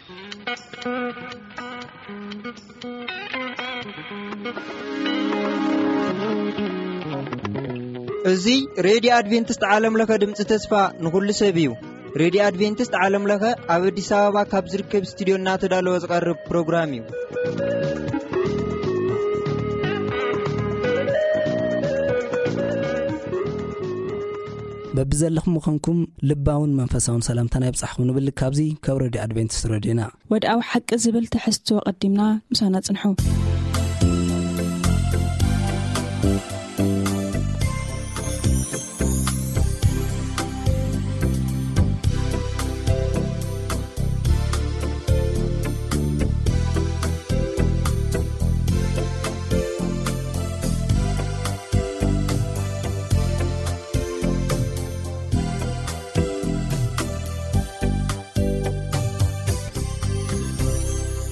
እዚ ሬድዮ ኣድቬንቲስት ዓለም ለኸ ድምፂ ተስፋ ንኹሉ ሰብ እዩ። ሬድዮ ኣድቬንቲስት ዓለም ለኸ ኣብ ኣዲስ ኣበባ ካብ ዝርከብ ስቱዲዮ እናተዳለወ ዝቐርብ ፕሮግራም እዩ። በብዘለኹም ምዃንኩም ልባውን መንፈሳውን ሰላምታና ይብጻሕኩም ንብል። ካብዚ ካብ ሬድዮ ኣድቬንቲስት ሬድዮና። ወድኣዊ ሓቂ ዝብል ትሕዝቶ ቀዲምና ምሳና ጽንሑ።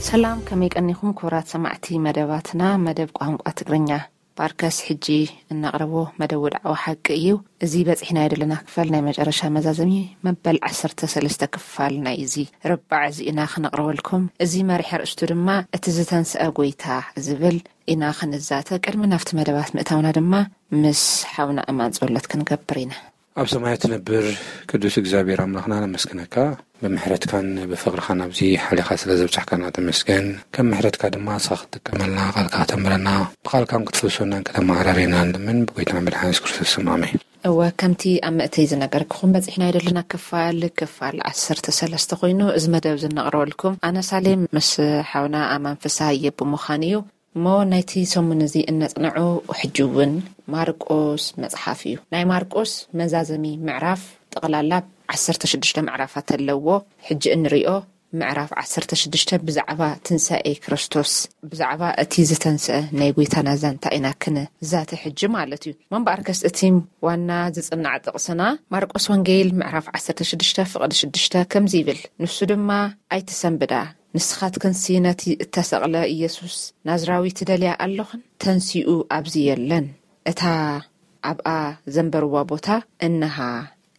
ሰላም፣ ከመይ ቀኒኹም ክቡራት ሰማዕቲ መደባትና፣ መደብ ቋንቋ ትግርኛ? ባርከስ ሕጂ እነቕርቦ መደብ ወድዓዊ ሓቂ እዩ። እዚ በጺሕና የደለና ክፋል ናይ መጨረሻ መዛዘሚ መበል ዓሰርተ ሰለስተ ክፋል ናይ እዚ ርባዕ እዚ ኢና ክነቕርበልኩም። እዚ መሪሕ ኣርእስቱ ድማ እቲ ዝተንስአ ጎይታ ዝብል ኢና ክንዛተ። ቅድሚ ናብቲ መደባት ምእታውና ድማ ምስ ሓውና ኣማን ጸሎት ክንገብር ኢና። ኣብ ሰማያት ትነብር ቅዱስ እግዚኣብሔር ኣምላኽና ነመስግነካ። ብምሕረትካን ብፍቕርኻን ኣብዚ ሓሊኻ ስለ ዘብጻሕካና ተመስገን። ከም ምሕረትካ ድማ ንስኻ ክትጥቀመልና፣ ቃልካ ከተንብረና፣ ብቃልካን ክትፍውሰናን ከተመዓራርየና ንልምን ብጎይታና መድሓኒ የሱስ ክርስቶስ ስም ኣሜን። እወ፣ ከምቲ ኣብ መእተይ ዝነገርክኹም በጺሕና ይደለና ክፋል፣ ክፋል ዓሰርተ ሰለስተ ኮይኑ እዚ መደብ ዝነቕርበልኩም ኣነ ሳሌም ምስ ሓውና ኣማን ፍስሃየ ብምዃን እዩ። እሞ ናይቲ ሰሙን እዚ እነጽንዑ ሕጂ እውን ማርቆስ መጽሓፍ እዩ። ናይ ማርቆስ መዛዘሚ ምዕራፍ ጠቕላላ ዓሰርተ ሽዱሽተ ምዕራፋት ኣለዎ። ሕጂ እንሪኦ ምዕራፍ ዓሰርተ ሽዱሽተ ብዛዕባ ትንሳኤ ክርስቶስ፣ ብዛዕባ እቲ ዝተንስአ ናይ ጎይታና ዛንታ ኢና ክንዛተ ሕጂ ማለት እዩ። እሞ እምበኣርከስ እቲ ዋና ዝጽናዕ ጥቕስና ማርቆስ ወንጌል ምዕራፍ ዓሰርተ ሽዱሽተ ፍቕዲ ሽዱሽተ ከምዚ ይብል፣ ንሱ ድማ ኣይትሰንብዳ፣ ንስኻትክንሲ ነቲ እተሰቕለ ኢየሱስ ናዝራዊ ትደልያ ኣለኽን? ተንሲኡ ኣብዚ የለን። እታ ኣብኣ ዘንበርዋ ቦታ እነሃ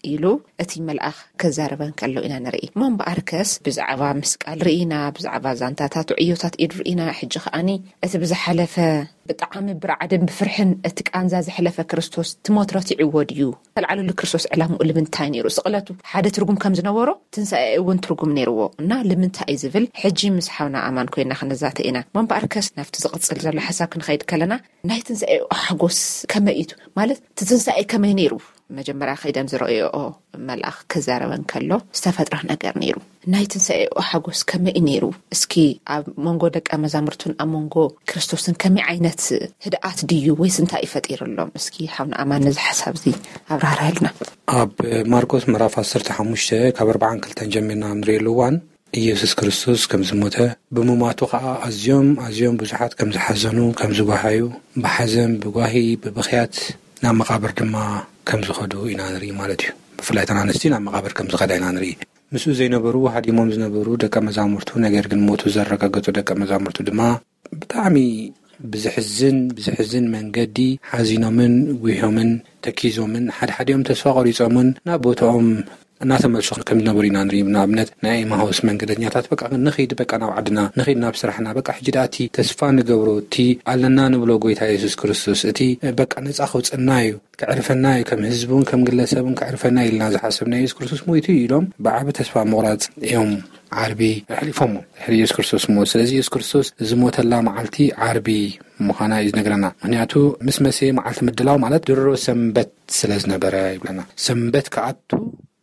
ኢሉ እቲ መልኣኽ ክዛረበን ከሎ ኢና ንርኢ። እሞ እምበኣርከስ ብዛዕባ ምስቃል ርኢና፣ ብዛዕባ ዛንታታት ዕዮታት ኢድ ርኢና፣ ሕጂ ከኣኒ እቲ ብዝሓለፈ ብጣዕሚ ብርዓድን ብፍርሕን እቲ ቃንዛ ዝሕለፈ ክርስቶስ ትሞት ረቲዕዎ ድዩ? ተልዓለሉ ክርስቶስ ዕላምኡ ልምንታይ ነይሩ? ስቕለቱ ሓደ ትርጉም ከም ዝነበሮ ትንሳኤ እውን ትርጉም ነይርዎ እና ልምንታይ እዩ ዝብል ሕጂ ምስ ሓውና ኣማን ኮይና ክንዛተ ኢና። እሞ እምበኣርከስ ናብቲ ዝቕጽል ዘሎ ሓሳብ ክንኸይድ ከለና ናይ ትንሳኤኡ ሓጎስ ከመይ እዩ? ማለት እቲ ትንሳኤ ከመይ ነይሩ? መጀመርያ ከይደን ዝረኣየኦ መልኣኽ ክዛረበን ከሎ ዝተፈጥረ ነገር ነይሩ። ናይ ትንሳኤኡ ሓጎስ ከመይ እዩ ነይሩ? እስኪ ኣብ መንጎ ደቀ መዛሙርቱን ኣብ መንጎ ክርስቶስን ከመይ ዓይነት ህድኣት ድዩ ወይስ እንታይ እዩ ፈጢርሎም? እስኪ ሓውና ኣማን ነዚ ሓሳብ እዚ ኣብራርሃልና። ኣብ ማርቆስ ምዕራፍ ዓሰርተ ሓሙሽተ ካብ ኣርብዓን ክልተን ጀሚርና ንርእየሉ እዋን ኢየሱስ ክርስቶስ ከም ዝሞተ፣ ብምማቱ ኸኣ ኣዝዮም ኣዝዮም ብዙሓት ከም ዝሓዘኑ፣ ከም ዝጓሃዩ፣ ብሓዘን፣ ብጓሂ፣ ብብኽያት ናብ መቓብር ድማ ከም ዝኸዱ ኢና ንርኢ ማለት እዩ። ብፍላይ እተን ኣንስቲ ናብ መቓብር ከም ዝኸዳ ኢና ንርኢ። ምስኡ ዘይነበሩ፣ ሃዲሞም ዝነበሩ ደቀ መዛሙርቱ፣ ነገር ግን ሞቱ ዘረጋገጹ ደቀ መዛሙርቱ ድማ ብጣዕሚ ብዝሕዝን፣ ብዝሕዝን መንገዲ ሓዚኖምን፣ ጉሂዮምን፣ ተኪዞምን፣ ሓድሓዲኦም ተስፋ ቆሪጾምን ናብ ቦታኦም እናተመልሱ ከም ዝነበሩ ኢና ንርኢ። ንኣብነት ናይ ኤማሁስ መንገደኛታት በቃ ንኺድ፣ በቃ ናብ ዓድና ንኺድ፣ ናብ ስራሕና፣ በቃ ሕጂ ደኣ እቲ ተስፋ ንገብሮ፣ እቲ ኣለና ንብሎ ጎይታ የሱስ ክርስቶስ፣ እቲ በቃ ነጻ ከውጽእና እዩ፣ ከዕርፈና እዩ፣ ከም ህዝቢ እውን ከም ግለሰብ እውን ከዕርፈና እዩ ኢልና ዝሓሰብና የሱስ ክርስቶስ ሞይቱ እዩ ኢሎም ብዓቢ ተስፋ ምቑራጽ እዮም ዓርቢ ኣሕሊፎሞ ድሕሪ የሱስ ክርስቶስ ሞት። ስለዚ የሱስ ክርስቶስ ዝሞተላ መዓልቲ ዓርቢ ምዃና እዩ ዝነግረና። ምኽንያቱ ምስ መሰየ መዓልቲ ምድላው ማለት ድሮ ሰንበት ስለ ዝነበረ ይብለና። ሰንበት ክኣቱ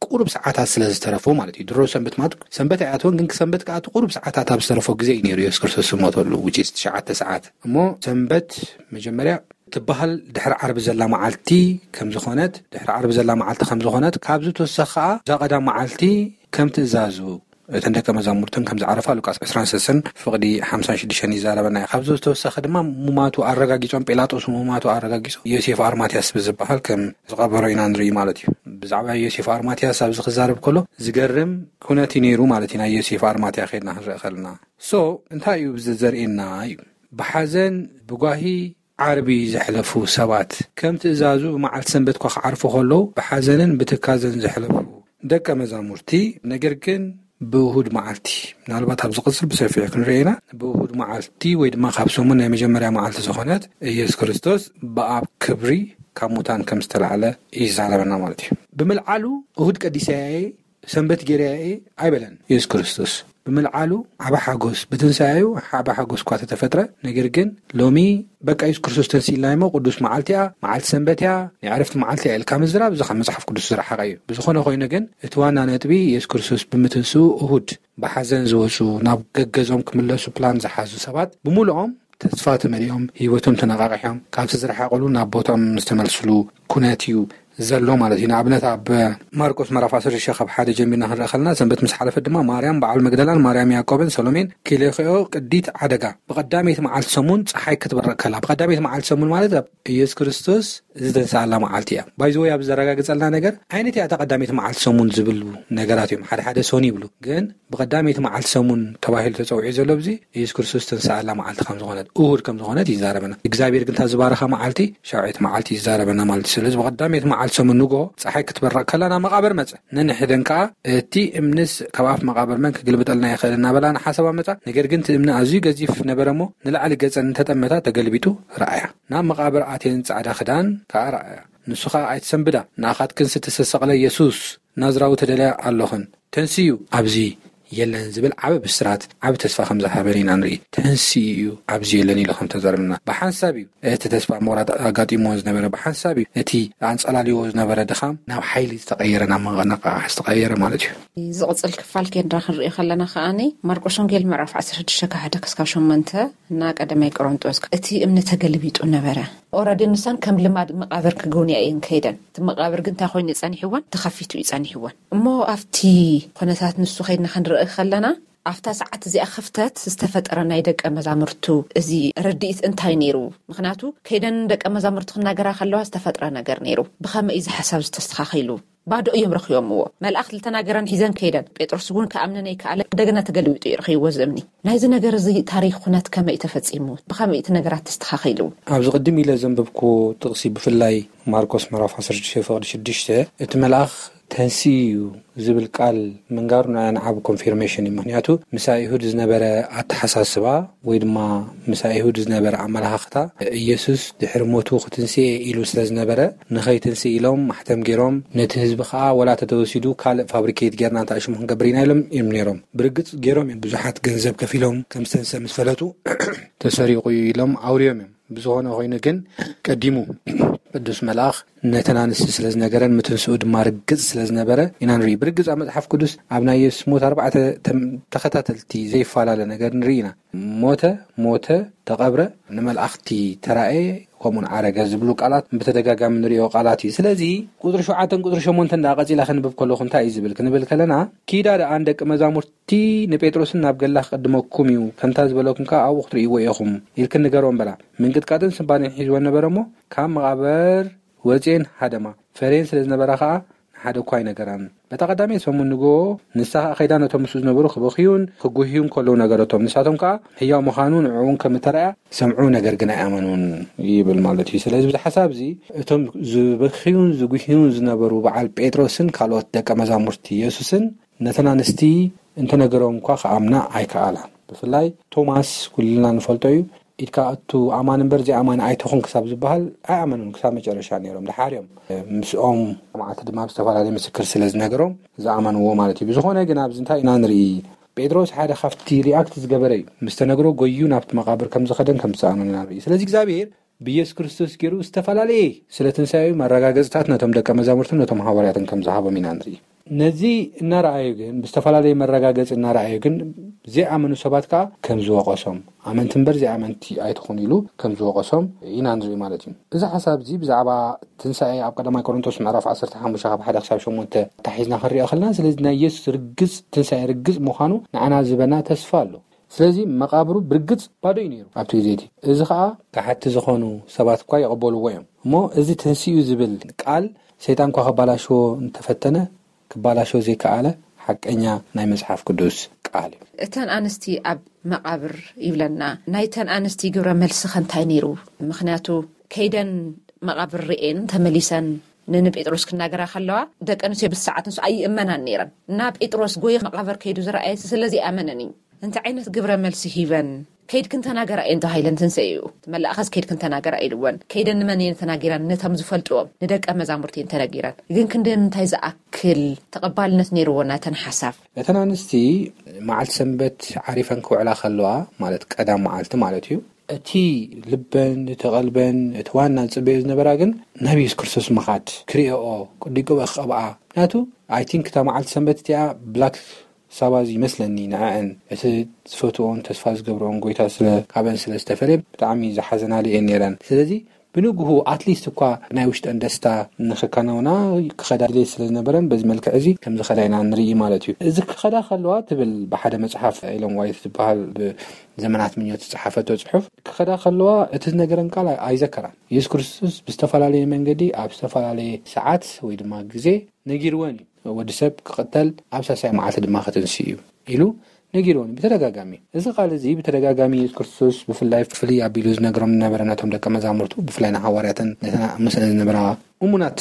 ቁሩብ ሰዓታት ስለ ዝተረፎ ማለት እዩ። ድሮ ሰንበት ማለት ሰንበት ኣይኣተወን፣ ግን ሰንበት ክኣቱ ቁሩብ ሰዓታት ኣብ ዝተረፎ ግዜ እዩ ነይሩ የሱስ ክርስቶስ ዝሞተሉ፣ which is ትሽዓተ ሰዓት። እሞ ሰንበት መጀመርያ ትበሃል ድሕሪ ዓርቢ ዘላ መዓልቲ ከም ዝኾነት፣ ድሕሪ ዓርቢ ዘላ መዓልቲ ከም ዝኾነት፣ ካብዚ ተወሳኺ ከኣ እዛ ቀዳም መዓልቲ ከም ትእዛዙ እተን ደቀ መዛሙርትን ከም ዝዓረፋ ሉቃስ ዕስራን ሰለስተን ፍቕዲ ሓምሳን ሽዱሽተን ይዛረበና እዩ። ካብዚ ዝተወሰኸ ድማ ሙማቱ ኣረጋጊጾም፣ ጲላጦስ ሙማቱ ኣረጋጊጹ ዮሴፍ ኣርማትያስ ብዝበሃል ከም ዝቐበሮ ኢና ንርኢ ማለት እዩ። ብዛዕባ ዮሴፍ ኣርማትያስ ኣብዚ ክዛረብ ከሎ ዝገርም ኩነት እዩ ነይሩ ማለት እዩ። ናይ ዮሴፍ ኣርማትያ ከይድና ክንርኢ ከለና። ሶ እንታይ እዩ እዚ ዘርእየና እዩ? ብሓዘን ብጓሂ ዓርቢ ዘሕለፉ ሰባት፣ ከም ትእዛዙ ብመዓልቲ ሰንበት እኳ ክዓርፉ ከለዉ ብሓዘንን ብትካዘን ዘሕለፉ ደቀ መዛሙርቲ፣ ነገር ግን ብእሁድ መዓልቲ፣ ምናልባት ኣብ ዝቕፅል ብሰፊሑ ክንርኢ ኢና። ብእሁድ መዓልቲ ወይ ድማ ካብ ሰሙን ናይ መጀመርያ መዓልቲ ዝኾነት፣ ኢየሱስ ክርስቶስ ብኣብ ክብሪ ካብ ሙታን ከም ዝተላዕለ ይዛረበና ማለት እዩ። ብምልዓሉ እሁድ ቀዲሰያ እየ፣ ሰንበት ገይረያ እየ ኣይበለን ኢየሱስ ክርስቶስ። ብምልዓሉ ዓቢ ሓጎስ፣ ብትንሳኤኡ ዓቢ ሓጎስ እኳ ተተፈጥረ፣ ነገር ግን ሎሚ በቃ ኢየሱስ ክርስቶስ ተንሲእልና እሞ ቅዱስ መዓልቲ እያ፣ መዓልቲ ሰንበት እያ፣ ናይ ዕረፍቲ መዓልቲ እያ ኢልካ ምዝራብ፣ እዚ ካብ መጽሓፍ ቅዱስ ዝረሓቐ እዩ። ብዝኾነ ኮይኑ ግን እቲ ዋና ነጥቢ ኢየሱስ ክርስቶስ ብምትንስኡ እሁድ ብሓዘን ዝወፁ፣ ናብ ገገዞም ክምለሱ ፕላን ዝሓዙ ሰባት ብምሉኦም ተስፋ ተመሊኦም፣ ህይወቶም ተነቓቂሖም፣ ካብቲ ዝረሓቐሉ ናብ ቦታኦም ዝተመልስሉ ኩነት እዩ ዘሎ ማለት እዩ። ንኣብነት ኣብ ማርቆስ ምዕራፍ ዓሰርተ ሽዱሽተ ካብ ሓደ ጀሚርና ክንርኢ ከለና፣ ሰንበት ምስ ሓለፈት ድማ ማርያም በዓል መግደላን ማርያም ያዕቆብን ሰሎሜን ኪሌክዮ ቅዲት ዓደጋ ብቐዳመይቲ መዓልቲ ሰሙን ፀሓይ ክትበርቕ ከላ፣ ብቐዳመይቲ መዓልቲ ሰሙን ማለት ኣብ ኢየሱስ ክርስቶስ ዝተንስኣላ መዓልቲ እያ። ባይዘወይ ኣብ ዘረጋግጸልና ነገር ዓይነት እያ እታ ቀዳመይቲ መዓልቲ ሰሙን ዝብሉ ነገራት እዮም። ሓደ ሓደ ሰሙን ይብሉ፣ ግን ብቐዳመይቲ መዓልቲ ሰሙን ተባሂሉ ተጸዊዑ ዘሎ ብዚ ኢየሱስ ክርስቶስ ዝተንስኣላ መዓልቲ ከም ዝኾነት፣ እሁድ ከም ዝኾነት ይዛረበና። እግዚኣብሔር ግን እታ ዝባረኻ መዓልቲ ሻውዒት መዓልቲ ይዛረበና ማለት እዩ። ስለዚ ብቐዳመይቲ መዓልቲ ሰሙን ንግሆ ፀሓይ ክትበርቕ ከላ ናብ መቓብር መጸ። ነንሕደን ከኣ እቲ እምንስ ካብ ኣፍ መቓብር መን ክግልብጠልና ይኽእል እናበላ ንሓሳባ መጻ። ነገር ግን እቲ እምኒ ኣዝዩ ገዚፍ ነበረ እሞ ንላዕሊ ገጸን እንተጠመታ ተገልቢጡ ረኣያ። ናብ መቓብር ኣትየን ጻዕዳ ክዳን ከኣ ረኣያ። ንሱ ኸኣ ኣይትሰንብዳ፣ ንኣኻትክንስ እተሰቀለ የሱስ ናዝራዊ ትደልያ ኣሎኽን። ተንስኡ ኣብዚ የለን ዝብል ዓቢ ብስራት፣ ዓቢ ተስፋ ከም ዝሃበን ኢና ንርኢ። ተንስኡ እዩ ኣብዚ የለን ኢሉ ከም ተዛረበና ብሓንሳብ እዩ። እቲ ተስፋ ምቑራጽ ኣጋጢምዎ ዝነበረ ብሓንሳብ እዩ። እቲ ኣንጸላልይዎ ዝነበረ ድኻም ናብ ሓይሊ ዝተቐየረ፣ ናብ መነቓቕሒ ዝተቐየረ ማለት እዩ። ዝቕጽል ክፋል ኬንዳ ክንሪኦ ከለና ከኣኒ ማርቆስ ወንጌል ምዕራፍ ዓሰርተ ሽዱሽተ ካብ ሓደ ክሳብ ሸሞንተ እና ቀዳማይ ቆሮንጦስ እቲ እምኒ ተገልቢጡ ነበረ። ኦረዲ ንሳን ከም ልማድ መቓብር ክግውንያ እየን ከይደን። እቲ መቓብር ግን እንታይ ኮይኑ ጸኒሕወን? ተኸፊቱ እዩ ጸኒሕወን። እሞ ኣብቲ ኩነታት ንሱ ከይድና ክንርኢ ከለና፣ ኣብታ ሰዓት እዚኣ ክፍተት ዝተፈጠረ ናይ ደቀ መዛሙርቱ እዚ ርድኢት እንታይ ነይሩ? ምኽንያቱ ከይደን ደቀ መዛሙርቱ ክናገራ ከለዋ ዝተፈጥረ ነገር ነይሩ። ብኸመይ እዚ ሓሳብ ዝተስተኻኺሉ? ባዶ እዮም ረኺቦምዎ። መልኣኽ ዝተናገረን ሒዘን ከይደን። ጴጥሮስ እውን ክኣምነን ኣይከኣለ። እንደገና ተገልቢጡ እዩ ረኺብዎ እዚ እምኒ። ናይዚ ነገር እዚ ታሪኽ ኩነት ከመይ እዩ ተፈጺሙ? ብኸመይ እቲ ነገራት ተስተኻኺሉ? ኣብዚ ቅድም ኢለ ዘንበብኩዎ ጥቕሲ ብፍላይ ማርቆስ ምዕራፍ ዓሰርተ ሽዱሽተ ፍቕዲ ሽዱሽተ፣ እቲ መልኣኽ ተንስኡ እዩ ዝብል ቃል ምንጋሩ ንዓና ዓቢ ኮንፊርሜሽን እዩ። ምኽንያቱ ምስ ኣይሁድ ዝነበረ ኣተሓሳስባ ወይ ድማ ምስ ኣይሁድ ዝነበረ ኣመለኻኽታ፣ ኢየሱስ ድሕሪ ሞቱ ክትንስኤ ኢሉ ስለ ዝነበረ፣ ንኸይትንስእ ኢሎም ማሕተም ገይሮም፣ ነቲ ህዝቢ ኸኣ ወላ ተተወሲዱ ካልእ ፋብሪኬት ጌርና እንታይ ሽሙ ክንገብር ኢና ኢሎም እዮም ነይሮም። ብርግጽ ገይሮም እዮም፣ ብዙሓት ገንዘብ ከፊሎም ከም ዝተንስአ ምስ ፈለጡ ተሰሪቑ እዩ ኢሎም ኣውርዮም እዮም። ብዝኾነ ኮይኑ ግን ቀዲሙ ቅዱስ መልኣኽ ነተን ኣንስቲ ስለ ዝነገረን ምትንስኡ ድማ ርግጽ ስለ ዝነበረ ኢና ንርኢ። ብርግጽ ኣብ መጽሓፍ ቅዱስ ኣብ ናይ የሱስ ሞት ኣርባዕተ ተም-፣ ተኸታተልቲ ዘይፈላለ ነገር ንርኢ ኢና። ሞተ፣ ሞተ፣ ተቐብረ፣ ንመላእኽቲ ተራእየ፣ ከምኡን ዓረገ ዝብሉ ቃላት ብተደጋጋሚ ንሪኦ ቃላት እዩ። ስለዚ ቁጽሪ ሸውዓተን ቁጽሪ ሸሞንተን ደኣ ቀጺላ ክንብብ ከለኹ እንታይ እዩ ዝብል ክንብል ከለና፣ ኪዳ ደኣ ንደቂ መዛሙርቲ ንጴጥሮስን ናብ ገላ ክቕድመኩም እዩ፣ ከምታ ዝበለኩም ከኣ ኣብኡ ክትርእይዎ ኢኹም ኢልክን ንገርዎም በላ። ምንቅጥቃጥን ስንባዴን ሒዝወን ነበረ እሞ ካብ መቓብር ወጽኤን ሃደማ። ፈርየን ስለ ዝነበራ ከኣ ንሓደ እኳ ኣይነገራን። በታ ቀዳመይቲ ሰሙን ንግሆ ንሳ ኸኣ ከይዳ ነቶም ምስኡ ዝነበሩ ክበኽዩን ክጉህዩን ከለዉ ነገረቶም። ንሳቶም ከኣ ህያው ምዃኑ ንዕኡን ከም እተራእያ ሰምዑ፣ ነገር ግን ኣይኣመኑን ይብል ማለት እዩ። ስለዚ ብዚ ሓሳብ እዚ እቶም ዝበኽዩን ዝጉህዩን ዝነበሩ በዓል ጴጥሮስን ካልኦት ደቀ መዛሙርቲ የሱስን ነተን ኣንስቲ እንተነገረኦም እኳ ክኣምና ኣይከኣላን። ብፍላይ ቶማስ ኩልና ንፈልጦ እዩ። ኢድካ እቱ ኣማን እምበር ዘይኣማን ኣይትኹን ክሳብ ዝበሃል ኣይኣመኑን፣ ክሳብ መጨረሻ ነይሮም። ደሓር እዮም ምስኦም መዓልቲ ድማ ብዝተፈላለየ ምስክር ስለ ዝነገሮም ዝኣመንዎ ማለት እዩ። ብዝኾነ ግን ኣብዚ እንታይ ኢና ንርኢ? ጴጥሮስ ሓደ ካብቲ ሪኣክት ዝገበረ እዩ። ምስ ተነግሮ ጎዩ ናብቲ መቓብር ከም ዝኸደን ከም ዝሰኣኑን ኢና ንርኢ። ስለዚ እግዚኣብሔር ብኢየሱስ ክርስቶስ ገይሩ ዝተፈላለየ ስለ ትንሳኤኡ መረጋገጽታት ነቶም ደቀ መዛሙርትን ነቶም ሃዋርያትን ከም ዝሃቦም ኢና ንርኢ። ነዚ እናረኣዩ ግን፣ ብዝተፈላለየ መረጋገጺ እናረኣዩ ግን፣ ዘይኣመኑ ሰባት ከኣ ከም ዝወቐሶም፣ ኣመንቲ እምበር ዘይኣመንቲ ኣይትኹኑ ኢሉ ከም ዝወቐሶም ኢና ንርኢ ማለት እዩ። እዚ ሓሳብ እዚ ብዛዕባ ትንሳኤ ኣብ ቀዳማይ ቆሮንቶስ ምዕራፍ ዓሰርተ ሓሙሽተ ካብ ሓደ ክሳብ ሸሞንተ ኣታሒዝና ክንሪኦ ከለና፣ ስለዚ ናይ የሱስ ርግጽ ትንሳኤ ርግጽ ምዃኑ ንዓና ዝህበና ተስፋ ኣሎ። ስለዚ መቓብሩ ብርግጽ ባዶ እዩ ነይሩ ኣብቲ ግዜ እቲ። እዚ ኸኣ ከሓድቲ ዝኾኑ ሰባት እኳ ይቕበልዎ እዮም። እሞ እዚ ተንሲኡ ዝብል ቃል ሰይጣን እኳ ከባላሽዎ እንተፈተነ፣ ክባላሽዎ ዘይከኣለ ሓቀኛ ናይ መጽሓፍ ቅዱስ ቃል እዩ። እተን ኣንስቲ ኣብ መቓብር ይብለና። ናይተን ኣንስቲ ግብረ መልሲ ከ እንታይ ነይሩ? ምኽንያቱ ከይደን መቓብር ርእየን ተመሊሰን ንንጴጥሮስ ክናገራ ከለዋ፣ ደቂ ኣንስትዮ ብሰዓት ንሱ ኣይእመናን ነይረን እና ጴጥሮስ ጎይ መቓብር ከይዱ ዝረኣየ ስለዚ ኣመነን እዩ። እንታይ ዓይነት ግብረ መልሲ ሂበን? ከይድክን ተናገራ እየን ተባሂለን ትንሰእዩ። እቲ መልኣኸስ ከይድክን ተናገራ ኢልወን። ከይደን ንመን እየን ተናጊራን? ነቶም ዝፈልጥዎም ንደቀ መዛሙርቲ እየን ተነጊረን። ግን ክንዲ ምንታይ ዝኣክል ተቐባልነት ነይርዎ ናተን ሓሳብ? እተን ኣንስቲ መዓልቲ ሰንበት ዓሪፈን ክውዕላ ከለዋ፣ ማለት ቀዳም መዓልቲ ማለት እዩ፣ እቲ ልበን እቲ ቀልበን እቲ ዋና ዝጽበዮ ዝነበራ ግን ናብ የሱስ ክርስቶስ ምኻድ፣ ክርእኦ፣ ቅዲቁበ ክቐብኣ። ምክንያቱ ኣይ ቲንክ እታ መዓልቲ ሰንበት እቲኣ ብላክ ሳባዝ ይመስለኒ ንዐአን እቲ ዝፈትኦን ተስፋ ዝገብርኦን ጎይታ ስለ ካብአን ስለ ዝተፈለየ ብጣዕሚ ዝሓዘናሉ እየን ነይረን። ስለዚ ብንግሁ ኣትሊስት እኳ ናይ ውሽጠን ደስታ ንኽከናውና ክኸዳ ድሌት ስለ ዝነበረን በዚ መልክዕ እዚ ከም ዝኸዳ ኢና ንርኢ ማለት እዩ። እዚ ክኸዳ ከለዋ ትብል ብሓደ መጽሓፍ ኤለን ዋይት ዝበሃል ብዘመናት ምኞት ዝጸሓፈቶ ጽሑፍ ክኸዳ ከለዋ እቲ ዝነገረን ቃል ኣይዘከራን። የሱስ ክርስቶስ ብዝተፈላለየ መንገዲ ኣብ ዝተፈላለየ ሰዓት ወይ ድማ ግዜ ነጊርወን እዩ። ወዲ ሰብ ክቕተል ኣብ ሳልሳይ መዓልቲ ድማ ክትንስእ እዩ ኢሉ ነጊርወን ብተደጋጋሚ። እዚ ቃል እዚ ብተደጋጋሚ የሱስ ክርስቶስ ብፍላይ ፍልይ ኣቢሉ ዝነግሮም ዝነበረ ነቶም ደቀ መዛሙርቱ፣ ብፍላይ ንሃዋርያትን ነተን ምስለን ዝነበራ እሙናት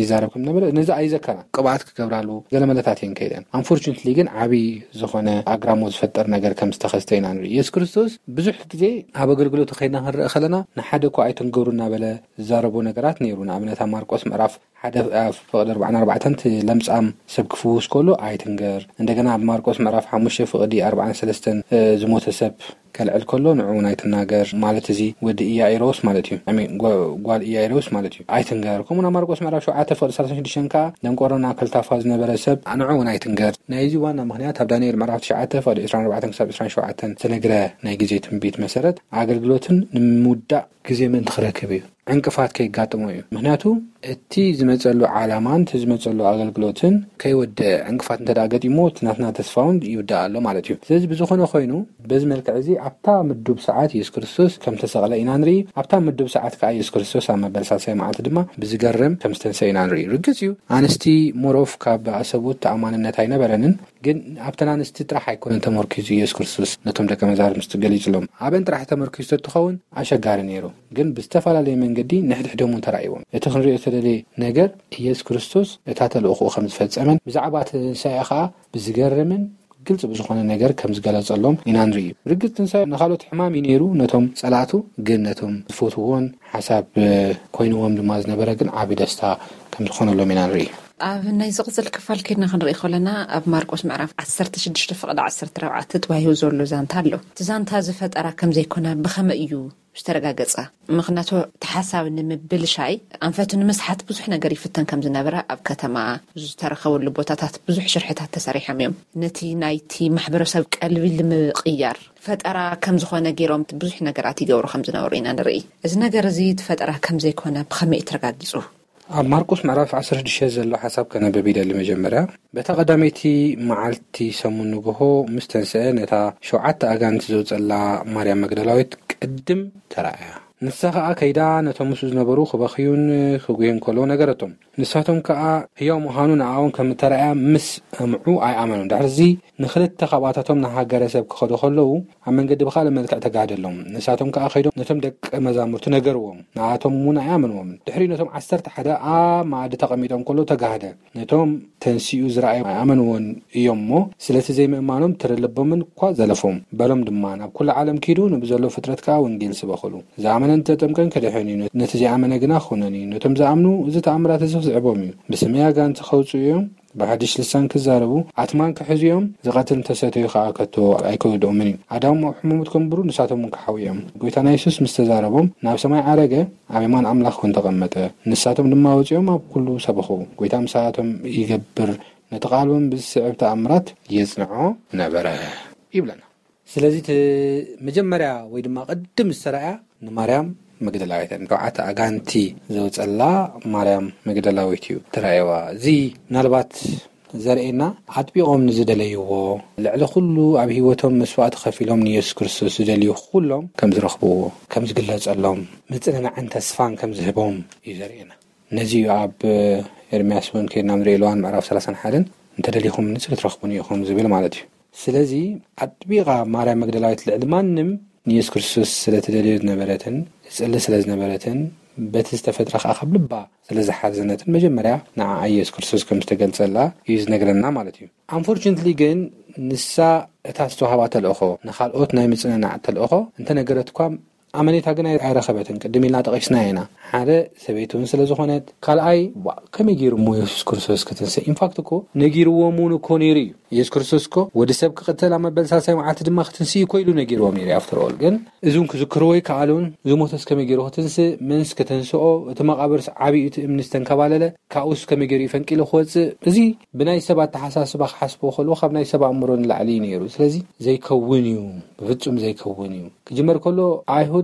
ይዛረብ ከም ነበረ ነዚ ኣይዘከራን። ቅብኣት ክገብራሉ ገለ መለታት እየን ከይደን። ኣንፎርቹነትሊ ግን ዓብዪ ዝኾነ ኣግራሞት ዝፈጥር ነገር ከም ዝተኸስተ ኢና ንርኢ። የሱስ ክርስቶስ ብዙሕ ግዜ ኣብ ኣገልግሎቱ ከይድና ክንርኢ ከለና ንሓደ እኳ ኣይትንገሩ እናበለ ዝዛረቦ ነገራት ነይሩ። ንኣብነት ኣብ ማርቆስ ምዕራፍ ሓደ ፍቕዲ ኣርባዕን ኣርባዕተን እቲ ለምጻም ሰብ ክፍውስ ከሎ ኣይትንገር። እንደገና ኣብ ማርቆስ ምዕራፍ ሓሙሽተ ፍቕዲ ኣርባዕን ሰለስተን ዝሞተ ሰብ ከልዕል ከሎ ንዑ እውን ኣይትናገር ማለት እዚ ወዲ ኢያኢሮስ ማለት እዩ። I mean፣ ጓ- ጓል ኢያኢሮስ ማለት እዩ። ኣይትንገር። ከምኡ ናብ ማርቆስ ምዕራፍ ሸውዓተ ፍቕዲ ሰላሳ ሽዱሽተ ከዓ ደንቆሮና ከልታፋ ዝነበረ ሰብ ንዑ እውን ኣይትንገር። ናይዚ ዋና ምኽንያት ኣብ ዳንኤል ምዕራፍ ትሽዓተ ፍቕዲ ዕስራን ኣርባዕተን ክሳብ ዕስራን ሸውዓተን ዝተነግረ ናይ ግዜ ትንቢት መሰረት ኣገልግሎትን ንምውዳእ ግዜ ምእንቲ ክረክብ እዩ። ዕንቅፋት ከይጋጥሞ እዩ። ምክንያቱ እቲ ዝመፀሉ ዓላማን እቲ ዝመፀሉ ኣገልግሎትን ከይወደአ ዕንቅፋት እንተ ደኣ ገጢሞ እቲ ናትና ተስፋ እውን ይውዳእ ኣሎ ማለት እዩ። ስለዚ ብዝኾነ ኮይኑ በዚ መልክዕ እዚ ኣብታ ምዱብ ሰዓት የሱስ ክርስቶስ ከም ተሰቕለ ኢና ንርኢ። ኣብታ ምዱብ ሰዓት ከዓ የሱስ ክርስቶስ ኣብ መበል ሳልሳይ መዓልቲ ድማ ብዝገርም ከም ዝተንሰ ኢና ንርኢ። ርግፅ እዩ ኣንስቲ ሞሮፍ ካብ ኣሰቡት ተኣማንነት ኣይነበረንን። ግን ኣብተን ኣንስቲ ጥራሕ ኣይኮነን ተመርኪዙ ኢየሱስ ክርስቶስ ነቶም ደቀ መዛርምቲ ገሊጽሎም። ኣበን ጥራሕ ተመርኪዙ ተትኸውን ኣሸጋሪ ነይሩ። ግን ብዝተፈላለየ መንገዲ ንሕድሕዶም እውን ተራእይዎም። እቲ ክንሪኦ ዝተደለየ ነገር ኢየሱስ ክርስቶስ እታ ተልእኾኡ ከም ዝፈጸመን ብዛዕባ ትንሳኤ ኸኣ ብዝገርምን ግልጽ ብዝኾነ ነገር ከም ዝገለጸሎም ኢና ንርኢ። ርግጽ ትንሳኤ ንኻልኦት ሕማም እዩ ነይሩ፣ ነቶም ጸላእቱ ግን ነቶም ዝፈትውዎን ሓሳብ ኮይንዎም ድማ ዝነበረ ግን ዓቢ ደስታ ከም ዝኾነሎም ኢና ንርኢ። ኣብ ናይ ዝቕጽል ክፋል ከድና ክንርኢ ከለና ኣብ ማርቆስ ምዕራፍ ዓሰርተ ሽዱሽተ ፍቕዲ ዓሰርተ ኣርባዕተ ተባሂሉ ዘሎ ዛንታ ኣሎ። እቲ ዛንታ እዚ ፈጠራ ከም ዘይኮነ ብኸመይ እዩ ዝተረጋገጸ? ምኽንያቱ እቲ ሓሳብ ንምብልሻይ ኣንፈቱ ንምስሓት ብዙሕ ነገር ይፍተን ከም ዝነበረ ኣብ ከተማ ዝተረኸበሉ ቦታታት ብዙሕ ሽርሕታት ተሰሪሖም እዮም። ነቲ ናይቲ ማሕበረሰብ ቀልቢ ንምቕያር ፈጠራ ከም ዝኾነ ገይሮም ብዙሕ ነገራት ይገብሩ ከም ዝነበሩ ኢና ንርኢ። እዚ ነገር እዚ እቲ ፈጠራ ከም ዘይኮነ ብኸመይ እዩ ተረጋጊጹ? ኣብ ማርቆስ ምዕራፍ ዓሰርተ ሽዱሽተ ዘሎ ሓሳብ ከነብብ ይደሊ። መጀመርያ በታ ቀዳመይቲ መዓልቲ ሰሙን ንግሆ ምስ ተንስአ ነታ ሸውዓተ ኣጋንንቲ ዘውጸላ ማርያም መግደላዊት ቅድም ተራእያ። ንሳ ኸኣ ከይዳ ነቶም ምስኡ ዝነበሩ ክበኽዩን ክጉህዩን ከለዉ ነገረቶም። ንሳቶም ከኣ ህያው ምዃኑ ንኣኦም ከም እተራእያ ምስ ሰምዑ ኣይኣመኑን። ድሕርዚ ንኽልተ ካብኣታቶም ንሃገረ ሰብ ክኸዱ ከለዉ ኣብ መንገዲ ብኻልእ መልክዕ ተጋህደሎም። ንሳቶም ከኣ ከይዶም ነቶም ደቀ መዛሙርቲ ነገርዎም። ንኣቶም እውን ኣይኣመንዎምን። ድሕሪኡ ነቶም ዓሰርተ ሓደ ኣብ መኣዲ ተቐሚጦም ከለዉ ተጋህደ። ነቶም ተንሲኡ ዝረኣዮም ኣይኣመንዎን እዮም እሞ፣ ስለቲ ዘይምእማኖም ትረ ልቦምን እኳ ዘለፎም። በሎም ድማ፣ ናብ ኩሉ ዓለም ኪዱ፣ ንብዘሎ ፍጥረት ከኣ ወንጌል ስበኹሉ። ዝኣመነን ዝተጠምቀን ክድሕን እዩ፣ ነቲ ዘይኣመነ ግና ክኹነን እዩ። ነቶም ዝኣምኑ እዚ ተኣምራት እዚ ክስዕቦም እዩ። ብስመይ ኣጋንንቲ ከውጽኡ እዮም፣ ብሓድሽ ልሳን ክዛረቡ፣ ኣትማን ክሕዙ እዮም፣ ዝቐትል እንተሰተዩ ከኣ ከቶ ኣይክውድኦምን እዩ። ኣዳዎም ኣብ ሕሙሙት ከንብሩ፣ ንሳቶም እውን ክሓው እዮም። ጎይታና የሱስ ምስ ተዛረቦም፣ ናብ ሰማይ ዓረገ፣ ኣብ የማን ኣምላኽ እውን ተቐመጠ። ንሳቶም ድማ ወጺኦም ኣብ ኩሉ ሰበኹ። ጎይታ ምሳቶም ይገብር፣ ነቲ ቃል እውን ብዝስዕብ ተኣምራት የጽንዖ ነበረ ይብለና። ስለዚ እቲ መጀመርያ ወይ ድማ ቅድም ዝተራእያ ንማርያም መግደላዊት እያ። ሸውዓተ ኣጋንቲ ዘውጸላ ማርያም መግደላዊት እዩ ተራእየዋ። እዚ ምናልባት ዘርእየና ኣጥቢቖም ንዝደለይዎ፣ ልዕሊ ኩሉ ኣብ ህይወቶም መስዋእቲ ከፊሎም ንየሱስ ክርስቶስ ዝደልዩ ኩሎም ከም ዝረኽብዎ፣ ከም ዝግለጸሎም፣ ምጽንናዕን ተስፋን ከም ዝህቦም እዩ ዘርእየና። ነዚ እዩ ኣብ ኤርምያስ እውን ከይድና ንርኢ ኣለዋን ምዕራፍ ሰላሳን ሓደን እንተደሊኹም ንስሪ ትረኽቡኒ ኢኹም ዝብል ማለት እዩ። ስለዚ ኣጥቢቓ ማርያም መግደላዊት ልዕሊ ማንም ንየሱስ ክርስቶስ ስለ ትደልዮ ዝነበረትን ትጽሊ ስለ ዝነበረትን በቲ ዝተፈጥረ ከዓ ካብ ልባ ስለ ዝሓዘነትን መጀመርያ ንዓ ኢየሱስ ክርስቶስ ከም ዝተገልጸላ እዩ ዝነግረና ማለት እዩ። ኣንፎርቹነትሊ ግን ንሳ እታ ዝተዋህባ ተልእኾ ንኻልኦት ናይ ምጽንናዕ ተልእኾ እንተነገረት እኳ ኣመኔታ ግን ኣይ- ኣይረኸበትን። ቅድም ኢልና ጠቒስና ኢና። ሓደ ሰበይቲ እውን ስለ ዝኾነት፣ ካልኣይ ዋ- ከመይ ገይሩ እሞ የሱስ ክርስቶስ ክትንስእ? ኢንፋክት እኮ ነጊርዎም እውን እኮ ነይሩ እዩ። ኢየሱስ ክርስቶስ እኮ ወዲ ሰብ ክቕተል ኣብ መበል ሳልሳይ መዓልቲ ድማ ክትንስእ እኮ ኢሉ ነጊርዎም ነይሩ። ኣፍተር ኦል ግን እዚውን ክዝክርዎ ኣይከኣሉን። ዝሞተስ ከመይ ገይሩ ክትንስእ? መንስ ከተንስኦ? እቲ መቓብርስ ዓብዩ እቲ እምኒ ዝተንከባለለ ካብኡስ ከመይ ገይሩ እዩ ፈንቂሉ ክወፅእ? እዚ ብናይ ሰብ ኣተሓሳስባ ክሓስቦ ከልዎ ካብ ናይ ሰብ ኣእምሮ ንላዕሊ እዩ ነይሩ። ስለዚ ዘይከውን እዩ፣ ብፍጹም ዘይከውን እዩ። ክጅመር ከሎ ኣይሁድ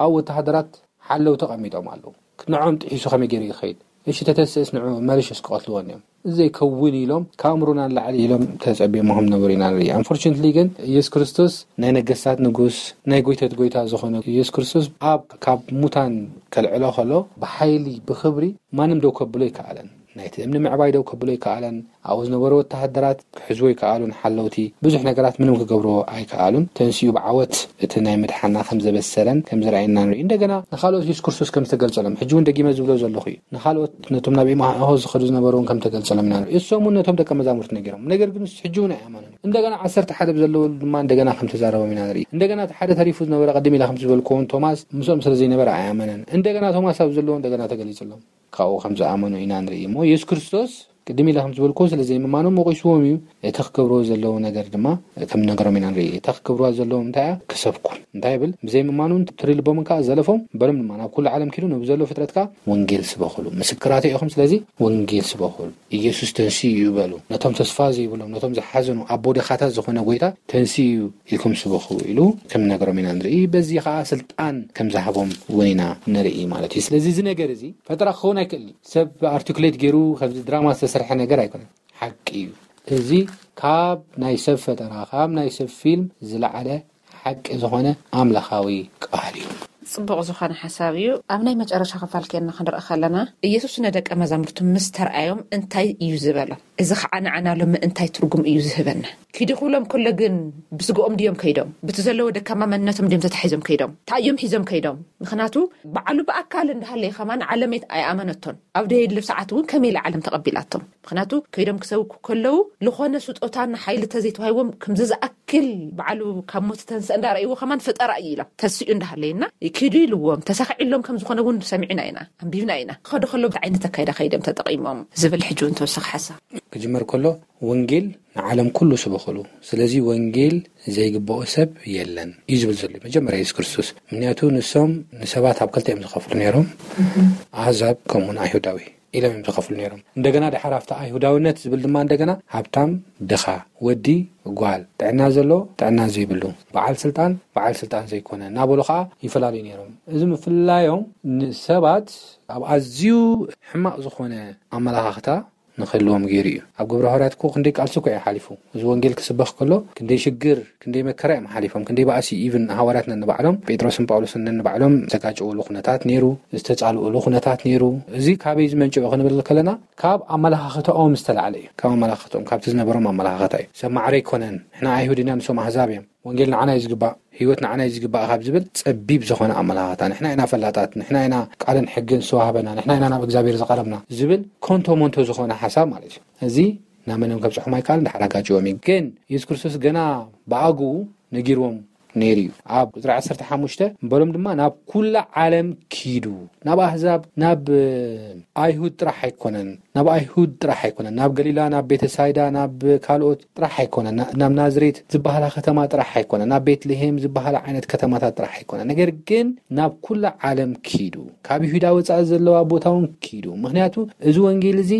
ኣብ ወተሃደራት ሓለው ተቐሚጦም ኣለዉ። ንዖም ጥሒሱ ከመይ ገይሩ ይኸይድ? እሺ ተተስእስ ንዑ መሪሽ እስክቐትልዎ እዮም። እዚ ዘይከውን ኢሎም ካብ ኣእምሮና ንላዕሊ ኢሎም ተጸቢሞም ነበሩ ኢና ንርኢ። ኣንፎርቹነትሊ ግን ኢየሱስ ክርስቶስ ናይ ነገስታት ንጉስ ናይ ጎይታት ጎይታ ዝኾነ ኢየሱስ ክርስቶስ ኣብ ካብ ሙታን ከልዕሎ ከሎ ብሓይሊ ብክብሪ ማንም ደው ከብሎ ኣይከኣለን። ናይቲ እምኒ ምዕባይ ደው ከብሎ ኣይከኣለን። ኣብኡ ዝነበሩ ወተሃደራት ክሕዝዎ ኣይከኣሉን። ሓለውቲ ብዙሕ ነገራት ምንም ክገብርዎ ኣይከኣሉን። ተንሲኡ ብዓወት እቲ ናይ ምድሓና ከም ዘበሰረን ከም ዘርኣየና ንርኢ። እንደገና ንኻልኦት ኢየሱስ ክርስቶስ ከም ዝተገልጸሎም ሕጂ እውን ደጊመ ዝብሎ ዘለኹ እዩ። ንኻልኦት ነቶም ናብ ኢማሆ ዝኸዱ ዝነበሩ እውን ከም ተገልጸሎም ኢና ንርኢ። እሶም እውን ነቶም ደቀ መዛሙርቲ ነጊሮም፣ ነገር ግን ሕጂ እውን ኣይኣመኑን። እንደገና ዓሰርተ ሓደ ብዘለዉ ድማ እንደገና ከም ተዛረቦም ኢና ንርኢ። እንደገና እቲ ሓደ ተሪፉ ዝነበረ ቅድም ኢላ ከም ዝበልኩዎ እውን ቶማስ ምስኦም ስለ ዘይነበረ ኣይኣመነን። እንደገና ቶማስ ኣብ ዘለዎ እንደገና ተገሊጹሎም ካብኡ ከም ዝኣመኑ ኢና ንርኢ። እሞ ኢየሱስ ክርስቶስ ቅድም ኢለ ከም ዝበልኩዎ ስለ ዘይምማኖም ወቒስዎም እዩ። እቲ ክገብርዎ ዘለዎ ነገር ድማ ከም ነገሮም ኢና ንርኢ። እታ ክገብርዋ ዘለዎም እንታይ እያ? ክሰብኩ። እንታይ ይብል? ብዘይምማኖም ትሪ ልቦምን ከዓ ዘለፎም በሎም ድማ ናብ ኩሉ ዓለም ኪዱ ነብ ዘሎ ፍጥረት ከዓ ወንጌል ስበኹሉ። ምስክራተ ኢኹም፣ ስለዚ ወንጌል ስበኹሉ። ኢየሱስ ተንስኡ እዩ በሉ። ነቶም ተስፋ ዘይብሎም፣ ነቶም ዝሓዘኑ ኣቦ ድኻታት ዝኾነ ጎይታ ተንስኡ እዩ ኢልኩም ስበኹ ኢሉ ከም ነገሮም ኢና ንርኢ። በዚ ከዓ ስልጣን ከም ዝሃቦም እውን ኢና ንርኢ ማለት እዩ። ስለዚ እዚ ነገር እዚ ፈጠራ ክኸውን ኣይክእል እዩ። ሰብ ኣርቲኩሌት ገይሩ ከምዚ ድራማ ዝተሰርሐ ነገር ኣይኮነን። ሓቂ እዩ። እዚ ካብ ናይ ሰብ ፈጠራ፣ ካብ ናይ ሰብ ፊልም ዝለዓለ ሓቂ ዝኾነ ኣምላኻዊ ቃል እዩ። ጽቡቕ ዝኾነ ሓሳብ እዩ። ኣብ ናይ መጨረሻ ክፋል ኬንና ክንርኢ ከለና፣ ኢየሱስ ንደቀ መዛሙርቱ ምስ ተርኣዮም እንታይ እዩ ዝበሎም? እዚ ኸዓ ንዓና ሎሚ እንታይ ትርጉም እዩ ዝህበና? ኪዱ ክብሎም ከሎ ግን ብስግኦም ድዮም ከይዶም? ብቲ ዘለዎ ደካማ መንነቶም ድዮም ተታሒዞም ከይዶም? እንታይ እዮም ሒዞም ከይዶም? ምኽንያቱ ባዕሉ ብኣካል እንዳሃለየ ከማን ዓለም ኣይኣመነቶን። ኣብ ደየድልብ ሰዓት እውን ከመይ ኢላ ዓለም ተቐቢላቶም? ምኽንያቱ ከይዶም ክሰብኩ ከለዉ ልኾነ ስጦታን ሓይሊ ተዘይተዋሂቦም ከምዚ ዝኣክል ባዕሉ ካብ ሞት ተንስእ እንዳረእይዎ ከማን ፈጠራ እዩ ኢሎም ተስኡ እንዳሃለየና ኪዱ ኢልዎም ተሳኺዕሎም ከም ዝኾነ እውን ሰሚዕና ኢና፣ ኣንቢብና ኢና። ክኸዱ ከለዉ እንታይ ዓይነት ኣካይዳ ከይዶም ተጠቒሞም ዝብል ሕጂ እውን ተወሳኺ ሓሳብ። ክጅመር ከሎ ወንጌል ንዓለም ኩሉ ስበኹሉ። ስለዚ ወንጌል ዘይግብኦ ሰብ የለን እዩ ዝብል ዘሎ መጀመርያ የሱስ ክርስቶስ። ምክንያቱ ንሶም ንሰባት ኣብ ክልተ እዮም ዝኸፍሉ ነይሮም። ኣህዛብ ከምኡውን ኣይሁዳዊ ኢሎም እዮም ዝኸፍሉ ነይሮም። እንደገና ድሓር ኣብቲ ኣይሁዳውነት ዝብል ድማ እንደገና ሃብታም ድኻ፣ ወዲ ጓል፣ ጥዕና ዘሎ ጥዕና ዘይብሉ፣ በዓል ስልጣን በዓል ስልጣን ዘይኮነ እናበሉ ከዓ ይፈላለዩ ነይሮም። እዚ ምፍላዮም ንሰባት ኣብ ኣዝዩ ሕማቕ ዝኾነ ኣመላኻኽታ ንክህልዎም ገይሩ እዩ። ኣብ ግብረ ሃዋርያት እኮ ክንደይ ቃልሲ እኮ እዩ ሓሊፉ። እዚ ወንጌል ክስበኽ ከሎ ክንደይ ሽግር ክንደይ መከራ እዮም ሓሊፎም። ክንደይ ባእሲ ኢቭን ሃዋርያት ነንባዕሎም ጴጥሮስን ጳውሎስን ነንባዕሎም ዝተጋጨውሉ ኩነታት ነይሩ፣ ዝተጻልኡሉ ኩነታት ነይሩ። እዚ ካበይ ዝመንጨው ክንብል ከለና ካብ ኣመላኻኽታኦም ዝተላዕለ እዩ። ካብ ኣመላኻኽታኦም ካብቲ ዝነበሮም ኣመላኻኽታ እዩ። ሰብ ማዕረ ኣይኮነን፣ ንሕና ኣይሁድ ኢና ንሶም ኣህዛብ እዮም፣ ወንጌል ንዓና እዩ ዝግባእ፣ ህይወት ንዓና እዩ ዝግባእ ካብ ዝብል ጸቢብ ዝኾነ ኣመላኻኽታ፣ ንሕና ኢና ፈላጣት፣ ንሕና ኢና ቃልን ሕግን ዝተዋህበና፣ ንሕና ኢና ናብ እግዚኣብሔር ዝቐረብና ዝብል ኮንቶ ሞንቶ ዝኾነ ሓሳብ ማለት እዩ። እዚ ናብ መንም ከብጽሖም ኣይከኣልን፣ ድሓር ኣጋጭዎም እዩ። ግን የሱስ ክርስቶስ ገና ብኣግኡ ነጊርዎም ነይሩ እዩ። ኣብ ቁፅሪ ዓሰርተ ሓሙሽተ በሎም ድማ ናብ ኩላ ዓለም ኪዱ፣ ናብ ኣህዛብ ናብ ኣይሁድ ጥራሕ ኣይኮነን፣ ናብ ኣይሁድ ጥራሕ ኣይኮነን፣ ናብ ገሊላ ናብ ቤተሳይዳ ናብ ካልኦት ጥራሕ ኣይኮነን፣ ናብ ናዝሬት ዝበሃላ ከተማ ጥራሕ ኣይኮነን፣ ናብ ቤትልሄም ዝበሃላ ዓይነት ከተማታት ጥራሕ ኣይኮነን፣ ነገር ግን ናብ ኩላ ዓለም ኪዱ፣ ካብ ይሁዳ ወፃኢ ዘለዋ ቦታ እውን ኪዱ። ምክንያቱ እዚ ወንጌል እዚ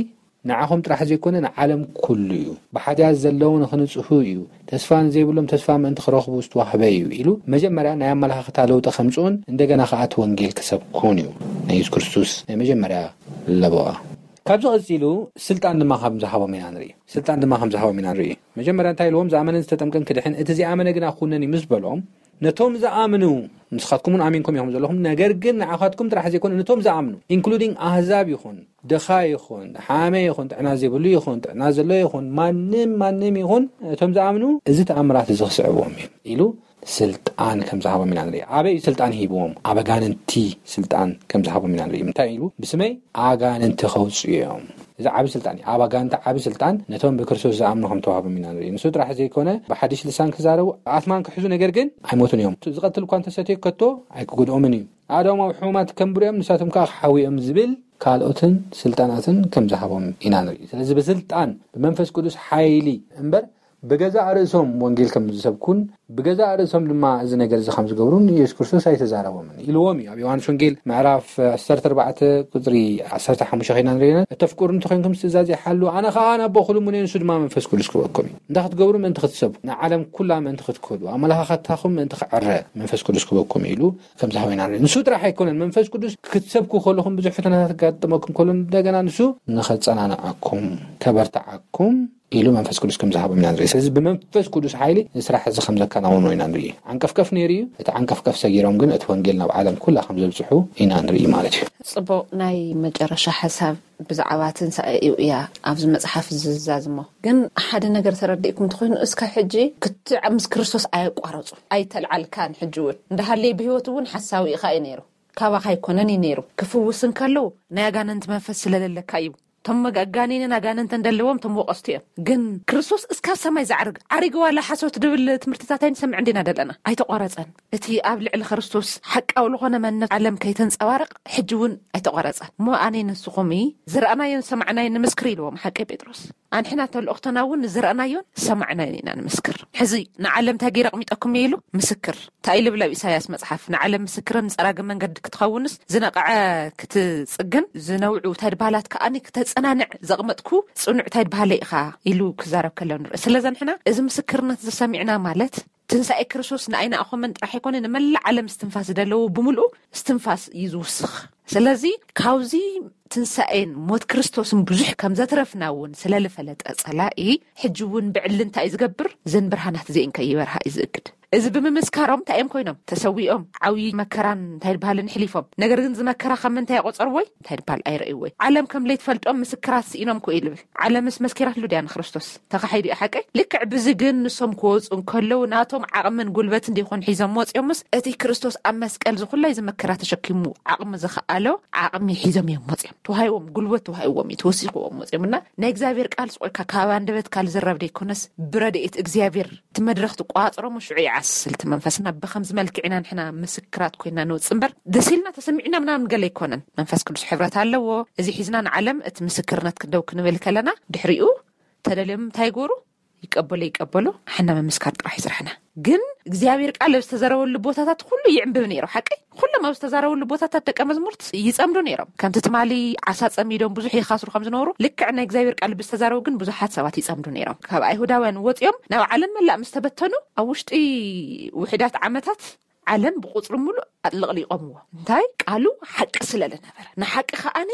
ንዓኹም ጥራሕ ዘይኮነ ንዓለም ኩሉ እዩ። ብሓጢኣት ዘለዉ ንኽንጽሁ እዩ። ተስፋ ንዘይብሎም ተስፋ ምእንቲ ክረኽቡ ዝተዋህበ እዩ ኢሉ መጀመርያ ናይ ኣመለኻኽታ ለውጢ ከምጽኡን እንደገና ከኣ እቲ ወንጌል ክሰብኩን እዩ ናይ የሱስ ክርስቶስ ናይ መጀመርያ ለበዋ። ካብዚ ቀጺሉ ስልጣን ድማ ከም ዝሃቦም ኢና ንርኢ። ስልጣን ድማ ከም ዝሃቦም ኢና ንርኢ። መጀመርያ እንታይ ኢልዎም? ዝኣመነን ዝተጠምቀን ክድሕን፣ እቲ ዘይኣመነ ግና ክኹነን እዩ ምስ በሎም፣ ነቶም ዝኣምኑ፣ ንስኻትኩም እውን ኣሚንኩም ኢኹም ዘለኹም፣ ነገር ግን ንዓኻትኩም ጥራሕ ዘይኮነ ነቶም ዝኣምኑ፣ ኢንክሉዲንግ ኣህዛብ ይኹን፣ ድኻ ይኹን፣ ሓመ ይኹን፣ ጥዕና ዘይብሉ ይኹን፣ ጥዕና ዘሎ ይኹን፣ ማንም ማንም ይኹን፣ እቶም ዝኣምኑ እዚ ተኣምራት እዚ ክስዕብዎም እዩ ኢሉ ስልጣን ከም ዝሃቦም ኢና ንርኢ። ኣበይ እዩ ስልጣን ሂብዎም? ኣብ ኣጋንንቲ ስልጣን ከም ዝሃቦም ኢና ንርኢ። እንታይ ኢሉ? ብስመይ ኣጋንንቲ ከውፅኡ እዮም። እዚ ዓቢ ስልጣን እዩ። ኣብ ኣጋንንቲ ዓቢ ስልጣን ነቶም ብክርስቶስ ዝኣምኑ ከም ተዋህቦም ኢና ንርኢ። ንሱ ጥራሕ ዘይኮነ ብሓድሽ ልሳን ክዛረቡ ኣትማን ክሕዙ፣ ነገር ግን ኣይሞቱን እዮም። ዝቐትል እኳ እንተሰትዩ ከቶ ኣይክጎድኦምን እዩ። ኣእዳዎም ኣብ ሕሙማት ከንብሩ እዮም፣ ንሳቶም ከዓ ክሓውዮም ዝብል ካልኦትን ስልጣናትን ከም ዝሃቦም ኢና ንርኢ። ስለዚ ብስልጣን ብመንፈስ ቅዱስ ሓይሊ እምበር ብገዛእ ርእሶም ወንጌል ከም ዝሰብኩን ብገዛእ ርእሶም ድማ እዚ ነገር እዚ ከም ዝገብሩን ኢየሱስ ክርስቶስ ኣይተዛረቦምን ኢልዎም እዩ። ኣብ ዮሃንስ ወንጌል ምዕራፍ ዓሰርተ ኣርባዕተ ቁፅሪ ዓሰርተ ሓሙሽተ ኮይና ንሪኢና፣ እተፍቅሩ እንተኮይንኩም ትእዛዝ ይሓሉ፣ ኣነ ከዓ ናብ ኣቦ ክልምኖ፣ ንሱ ድማ መንፈስ ቅዱስ ክበኩም እዩ። እንታይ ክትገብሩ? ምእንቲ ክትሰብኩ፣ ንዓለም ኩላ ምእንቲ ክትከዱ፣ ኣመለኻኸታኹም ምእንቲ ክዕረ መንፈስ ቅዱስ ክበኩም ኢሉ ከም ዝሃበና ንርኢ። ንሱ ጥራሕ ኣይኮነን፣ መንፈስ ቅዱስ ክትሰብኩ ከለኹም ብዙሕ ፈተናታት ክጋጥመኩም ከሎ እንደገና ንሱ ንኸጸናንዓኩም፣ ከበርትዓኩም ኢሉ መንፈስ ቅዱስ ከም ዝሃቦም ኢና ንርኢ። ስለዚ ብመንፈስ ቅዱስ ሓይሊ እዚ ስራሕ እዚ ከም ዘከናውኖ ኢና ንርኢ። ዓንቀፍቀፍ ነይሩ እዩ። እቲ ዓንቀፍቀፍ ሰጊሮም ግን እቲ ወንጌል ናብ ዓለም ኩላ ከም ዘብጽሑ ኢና ንርኢ ማለት እዩ። ጽቡቕ፣ ናይ መጨረሻ ሓሳብ ብዛዕባ ትንሳኤ እዩ እያ ኣብዚ መጽሓፍ ዝዛዝሞ። ግን ሓደ ነገር ተረዲእኩም እንተኾይኑ፣ እስካብ ሕጂ ክትዕ ምስ ክርስቶስ ኣየቋረጹ፣ ኣይተልዓልካን። ሕጂ እውን እንዳሃለየ ብህይወት እውን ሓሳዊ ኢኻ እዩ ነይሩ። ካባኻ ኣይኮነን እዩ ነይሩ። ክፍውስ እንከለዉ ናይ ኣጋንንቲ መንፈስ ስለለለካ እዩ። እቶም መጋጋኔንን ኣጋንንትን ደለዎም እቶም ወቀስቱ እዮም። ግን ክርስቶስ እስካብ ሰማይ ዝዓርግ፣ ዓሪገ ዋላ ሓሶት ድብል ትምህርትታት ኣይንሰምዕ እንዲና ደለና። ኣይተቋረጸን። እቲ ኣብ ልዕሊ ክርስቶስ ሓቃዊ ዝኾነ መንነት ዓለም ከይተንጸባረቕ ሕጂ እውን ኣይተቋረጸን። እሞ ኣነ ንስኹም ዝረኣናዮን ዝሰማዕናዮን ንምስክር ኢልዎም ሓቂ ጴጥሮስ። ኣንሕና ተልእኽቶና እውን ዝረኣናዮን ዝሰማዕናዮን ኢና ንምስክር። ሕዚ ንዓለም እንታይ ገይረ ኣቕሚጠኩም እየ ኢሉ ምስክር። እንታይ ኢሉ ብለ ኣብ ኢሳያስ መጽሓፍ? ንዓለም ምስክርን ጸራጊ መንገዲ ክትኸውንስ ዝነቕዐ ክትጽግን ዝነውዑ እንታይ ድባላት ከኣኒ ክተጸናንዕ ዘቕመጥኩ ጽኑዕ እንታይ ድባለ ኢኻ ኢሉ ክዛረብ ከሎ ንርኢ። ስለዚ ንሕና እዚ ምስክርነት ዝሰሚዕና ማለት ትንሳኤ ክርስቶስ ንኣይና ኣኾመን ጥራሕ ኣይኮነ ንመላእ ዓለም እስትንፋስ ዝደለዎ ብምልኡ እስትንፋስ እዩ ዝውስኽ። ስለዚ ካብዚ ትንሳኤን ሞት ክርስቶስን ብዙሕ ከም ዘትረፍና እውን ስለ ልፈለጠ ጸላኢ ሕጂ እውን ብዕሊ እንታይ እዩ ዝገብር? ዘን ብርሃናት እዚአን ከይበርሃ እዩ ዝእግድ። እዚ ብምምስካሮም እንታይ እዮም ኮይኖም? ተሰዊኦም ዓብዪ መከራን እንታይ ዝበሃልን ሕሊፎም። ነገር ግን እዚ መከራ ከም ምንታይ ይቆጸርዎይ? እንታይ ዝበሃል ኣይረእይዎይ። ዓለም ከም ለይትፈልጦም ምስክራት ስኢኖም ኮ ይልብል። ዓለምስ መስኪራትሉ ድያ ንክርስቶስ? ተኻሒዱ እዩ ሓቀይ። ልክዕ ብዚ ግን ንሶም ክወፁ እንከለዉ ናቶም ዓቕምን ጉልበት እንዲኾን ሒዞም ወፂኦምስ እቲ ክርስቶስ ኣብ መስቀል ዝኹላይ ዝመከራ ተሸኪሙ ዓቕሚ ዝኸኣሎ ዓቕሚ ሒዞም እዮም ወፂኦም። ተዋሂዎም፣ ጉልበት ተዋሂዎም እዩ፣ ተወሲኽዎም ወፂኦም። እና ናይ እግዚኣብሔር ቃል ስቆልካ ካብ ኣንደበት ካል ዝረብ ደይኮነስ ብረድኤት እግዚኣብሔር እቲ መድረኽ ትቋፅሮም ሽዑ ይዓስል እቲ መንፈስና። ብኸምዚ መልክዕ ኢና ንሕና ምስክራት ኮይና ንወፅእ እምበር ደስ ኢልና ተሰሚዕና ምናምን ገለ ኣይኮነን። መንፈስ ቅዱስ ሕብረት ኣለዎ። እዚ ሒዝና ንዓለም እቲ ምስክርነት ክንደው ክንብል ከለና ድሕሪኡ ተደልዮም እንታይ ይገብሩ? ይቀበሉ ይቀበሉ፣ ሓና ምምስካር ጥራሕ ይስራሕና። ግን እግዚኣብሔር ቃል ኣብ ዝተዘረበሉ ቦታታት ኩሉ ይዕንብብ ነይሩ። ሓቂ ኩሎም ኣብ ዝተዛረበሉ ቦታታት ደቀ መዝሙርት ይጸምዱ ነይሮም። ከምቲ ትማሊ ዓሳ ጸሚዶም ብዙሕ ይኻስሩ ከም ዝነበሩ ልክዕ ናይ እግዚኣብሔር ቃል ብዝተዛረቡ ግን ብዙሓት ሰባት ይጸምዱ ነይሮም። ካብ ኣይሁዳውያን ወጺኦም ናብ ዓለም መላእ ምስ ተበተኑ ኣብ ውሽጢ ውሕዳት ዓመታት ዓለም ብቁጽሪ ሙሉእ ኣጥለቕሊቖምዎ። እንታይ? ቃሉ ሓቂ ስለ ዝነበረ። ንሓቂ ከኣኒ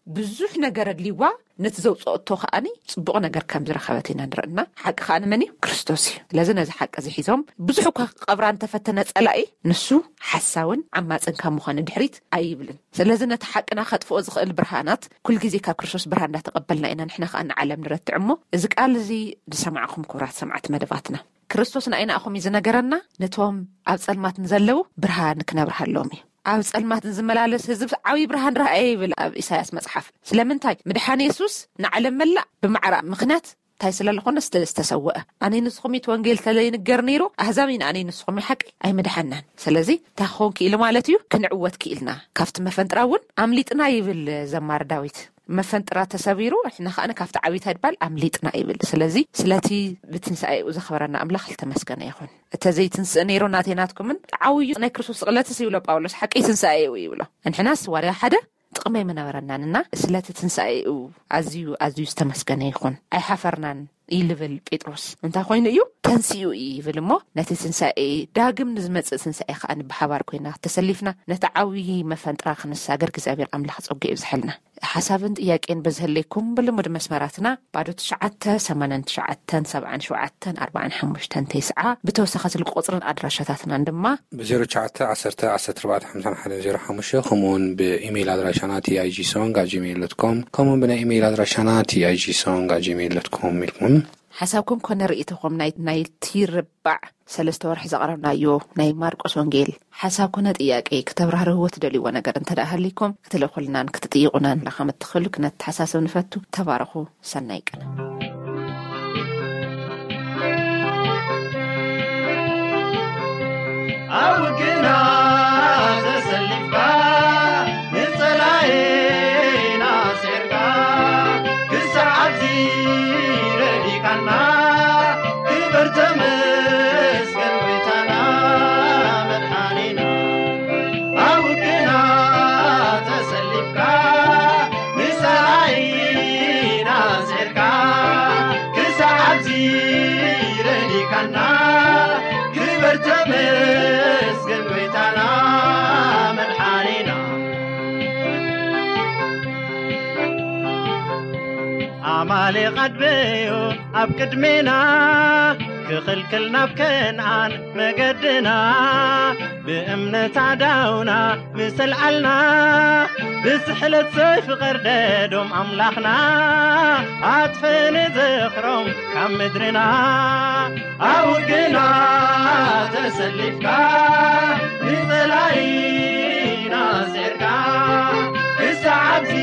ብዙሕ ነገር ኣድልይዋ ነቲ ዘውፅኦቶ ከኣኒ ፅቡቕ ነገር ከም ዝረኸበት ኢና ንርእና። ሓቂ ከኣኒ መን እዩ? ክርስቶስ እዩ። ስለዚ ነዚ ሓቂ እዚ ሒዞም ብዙሕ እኳ ክቐብራ እንተፈተነ ፀላኢ ንሱ ሓሳውን ዓማፅን ካብ ምዃን ድሕሪት ኣይብልን። ስለዚ ነቲ ሓቅና ከጥፍኦ ዝኽእል ብርሃናት ኩልግዜ ካብ ክርስቶስ ብርሃን እንዳተቐበልና ኢና ንሕና ከኣ ንዓለም ንረትዕ እሞ እዚ ቃል እዚ ዝሰማዕኹም ክቡራት ሰማዕቲ መደባትና ክርስቶስ ንኣይናእኹም እዩ ዝነገረና፣ ነቶም ኣብ ጸልማት ንዘለዉ ብርሃን ክነብርሃሎም እዩ። ኣብ ጸልማት ንዝመላለስ ህዝብ ዓብዪ ብርሃን ረኣየ ይብል ኣብ ኢሳያስ መጽሓፍ። ስለምንታይ? ምድሓን የሱስ ንዓለም መላእ ብማዕራ ምኽንያት እንታይ ስለ ዝኾነ ስለ ዝተሰወአ። ኣነይ ንስኹም እቲ ወንጌል ተለይንገር ነይሩ፣ ኣህዛብ ኢና ኣነይ ንስኹም ሓቂ ኣይምድሓናን። ስለዚ እንታይ ክኸውን ክኢሉ ማለት እዩ? ክንዕወት ክኢልና። ካብቲ መፈንጥራ እውን ኣምሊጥና ይብል ዘማሪ ዳዊት። መፈንጥራ ተሰቢሩ፣ ንሕና ከኣ ካብቲ ዓብዪ ታድባል ኣምሊጥና ይብል። ስለዚ ስለቲ ብትንሳኤኡ ዘኽበረና ኣምላኽ ዝተመስገነ ይኹን። እተ ዘይትንስእ ነይሩ ናተይ ናትኩምን ዓብዩ ናይ ክርስቶስ ስቕለትስ ይብሎ ጳውሎስ፣ ሓቂ ትንሳኤ እዩ ይብሎ። እንሕናስ ዋርያ ሓደ ጥቕሚ ኣይምነበረናን እና ስለቲ ትንሳኤኡ ኣዝዩ ኣዝዩ ዝተመስገነ ይኹን። ኣይሓፈርናን ይልብል ጴጥሮስ። እንታይ ኮይኑ እዩ? ተንሲኡ እዩ ይብል እሞ ነቲ ትንሳኤ ዳግም ንዝመጽእ ትንሳኤ ከኣ ብሓባር ኮይና ተሰሊፍና ነቲ ዓብዪ መፈንጥራ ክንሳገር እግዚኣብሔር ኣምላኽ ጸጉ ይብዝሐልና። ሓሳብን ጥያቄን በዝህለይኩም ብልሙድ መስመራትና ባዶ ትሽዓተ ሰማንያን ትሽዓተን ሰብዓን ሸውዓተን ኣርባዓን ሓሙሽተን ተስዓ ብተወሳኺ ስልኪ ቁፅርን ኣድራሻታትናን ድማ ብ ዜሮ ትሽዓተ ዓሰርተ ዓሰርተ ኣርባዕተ ሓምሳን ሓደን ዜሮ ሓሙሽተ ከምኡውን ብኢሜይል ኣድራሻና ቲኣይጂ ሶንግ ኣት ጂሜይል ዶት ኮም ከምኡውን ብናይ ኢሜይል ኣድራሻና ቲኣይጂ ሶንግ ኣት ጂሜይል ዶት ኮም ኢልኩም ሓሳብኩም ኮነ ርእይቶኹም ናይ ናይቲ ርባዕ ሰለስተ ወርሒ ዘቕረብናዮ ናይ ማርቆስ ወንጌል ሓሳብ ኮነ ጥያቄ ክተብራህርህዎ ትደልይዎ ነገር እንተ ደኣ ሃሊኩም ክትልእኹልናን ክትጥይቑናን ላኻም እትኽእሉ ክነተሓሳስብ ንፈቱ። ተባረኹ። ሰናይ ቀነ። ኣብ ውግና ተሰሊፍካ ንጸላኤና ኣስዒርካ ክሳዕ ኣብዚ ረዲእካና ክበር ተመስገን ጎይታና መድሓኒና። ኣብ ውግና ተሰሊፍካ ንጸላኢና ኣስዒርካ ክሳዕ ኣብዚ ረዲእካና ክበር ተመስገን ጎይታና መድሓኒና። ኣማሌቕ ኣድበዮ ኣብ ቅድሜና ክኽልክል ናብ ከነኣን መገድና ብእምነት ኣዳውና ምስ ኣልዓልና ብስሕለት ሰይፊ ቀርደዶም ኣምላኽና ኣጥፍእ ንዝኽሮም ካብ ምድርና። ኣብ ውግና ተሰሊፍካ ንጸላኢና ኣስዒርካ ክሳዕ ኣብዚ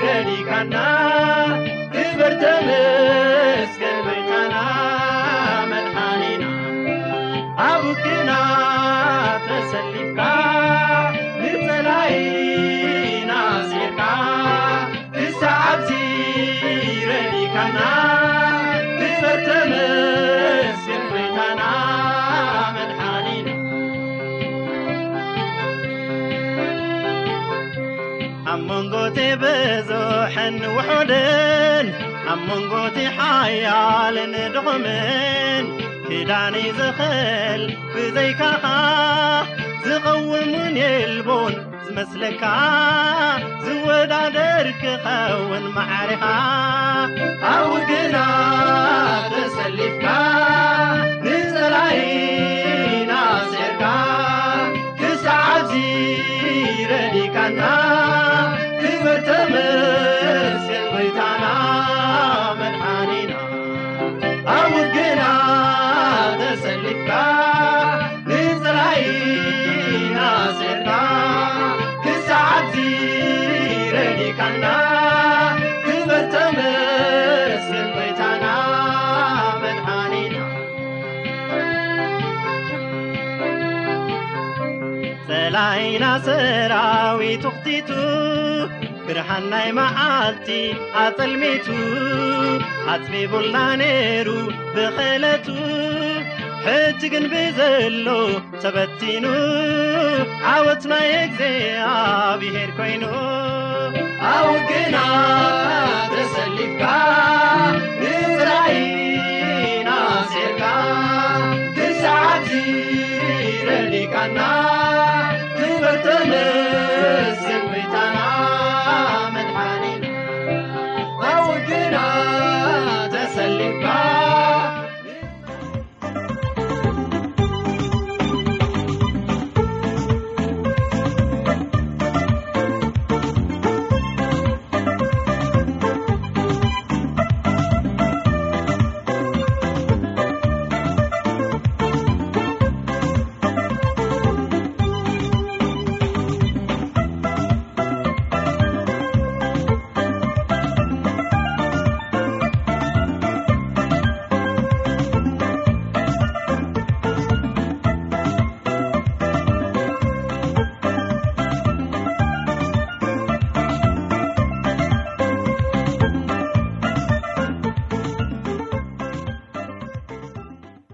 ረዲእካና ክበር ተመስገን ጎይታና መድሓኒና። ኣብ ውግና ተሰሊፍካ ንጸላኢና ኣስዒርካ ክሳዕ ኣብዚ ረዲእካና ክበር ተመስገን ጎይታና መድሓኒና። ኣብ መንጎ እቲ ብዙሕን ውሑድን ኣብ መንጎ እቲ ሓያልን ድኹምን ክዳን እዩ ዝኽእል ብዘይካኻ ዝቐውም እውን የልቦን ዝመስለካ ዝወዳደር ክኸውን ማዕሪኻ ኣብ ውግና ተሰሊፍካ ንጸላኢና ኣስዒርካ ክሳዕ ኣብዚ ረዲእካና ክበር ተመስገን ጎይታና መድሓኒና። ኣብ ውግና ተሰሊፍካ ንጸላኢና ኣስዒርካ ክሳዕ ኣብዚ ረዲእካና ክበር ተመስገን ጎይታና መድሓኒና። ጸላኢና ሰራዊቱ ኽቲቱ ብርሃን ናይ መዓልቲ ኣጸልሚቱ ኣጽቢቡልና ነይሩ ብኽእለቱ ሕጂ ግን ብዘሎ ተበቲኑ ዓወት ናይ እግዚኣብሔር ኮይኑ። ኣብ ውግና ተሰሊፍካ ንጸላኢና ኣስዒርካ ክሳዕ ኣብዚ ረዲእካና ክበር ተመስገን